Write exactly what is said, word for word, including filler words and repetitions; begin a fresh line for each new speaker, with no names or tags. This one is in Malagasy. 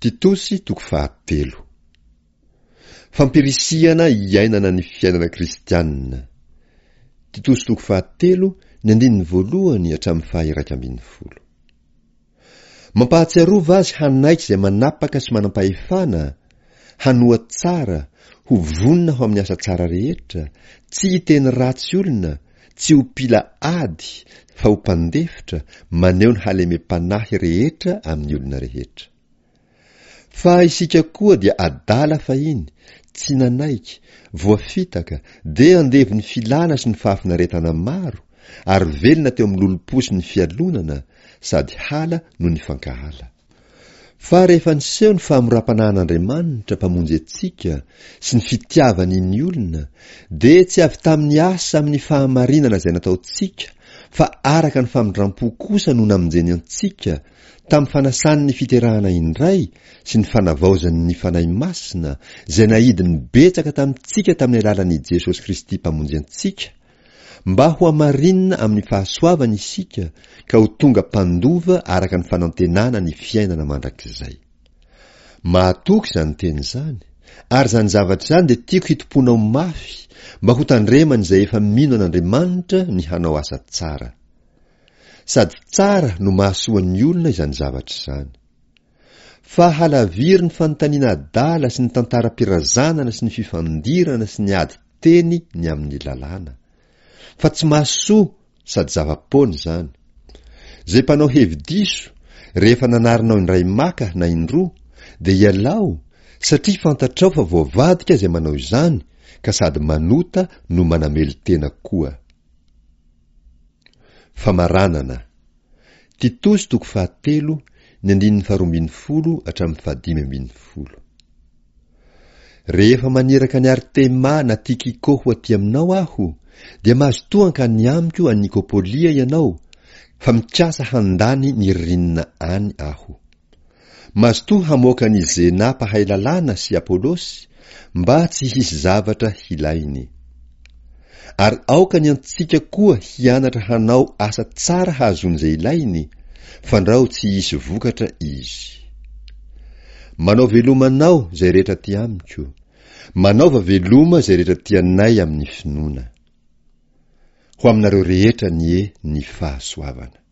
Titosy toko fahatelo. Fampirisihana hiainana ny fiainana kristianina. Titosy toko fahatelo, ny andininy voalohany hatramin'ny faha-iraika ambin'ny folo. Mampahatsiarova azy hanaiky izay manapaka sy manam-pahefana, hanoa tsara, ho vonona ho amin'ny asa tsara rehetra, tsy hiteny ratsy olona, tsy ho mpila ady, fa ho mpandefitra, maneho ny halemem-panahy rehetra amin'ny olona rehetra. Fa isika koa dia adala fahiny, tsy nanaiky, voafitaka, dia andevon'ny filana sy ny fahafinaretana maro, ary velona teo amin'ny lolompo sy ny fialonana, sady hala no nifankahala. Fa rehefa niseho ny fahamoram-panahin'Andriamanitra Mpamonjy antsika sy ny fitiavany ny olona, dia tsy avy tamin'ny asa amin'ny fahamarinana izay nataontsika, fa araka ny famindram-po kosa no namonjeny antsika, tamin'ny fanasany ny fiterahana indray sy ny fanavaozany ny Fanahy Masina, izay naidiny betsaka tamintsika tamin'ny alalan'i Jesosy Kristy Mpamonjy antsika, mba hohamarinina amin'ny fahasoavany isika ka ho tonga mpandova araka ny fanantenana ny fiainana mandrakizay. Mahatoky izany teny izany, ary izany zavatra izany dia tiako hitompoanao mafy mba ho tandreman'izay efa mino an'Andriamanitra ny hanao asa tsara. Sady tsara no mahasoa ny olona izany zavatra izany. Fa halaviro ny fanontaniana adala sy ny tantaram-pirazanana sy ny fifandirana sy ny ady teny ny amin'ny lalàna. Fa tsy mahasoa sady zava-poana izany. Izay mpanao hevi-diso, rehefa nanarinao indray maka na indroa, dia ialao, satria fantatrao fa voavadika izay manao izany ka sady manota no manamelo-tena koa. Famaranana. Titosy toko fahatelo, ny andininy faharoa ambin'ny folo hatramin'ny fahadimy ambin'ny folo. Rehefa maniraka an'i Artema na Tikiko ho aty aminao aho, dia mazotoa hankany amiko any Nikopolia ianao, fa mikasa handany ny ririnina any aho. Mazotoa hamoaka an'i Zena mpahay lalàna sy Apolosy, mba tsy hisy zavatra hilainy. Ary aoka ny antsika koa hianatra hanao asa tsara hahazoany izay ilainy, fandrao tsy hisy vokatra izy. Manao veloma anao izay rehetra aty amiko. Manaova veloma izay rehetra tianay amin'ny finoana. Ho aminareo rehetra anie ny fahasoavana.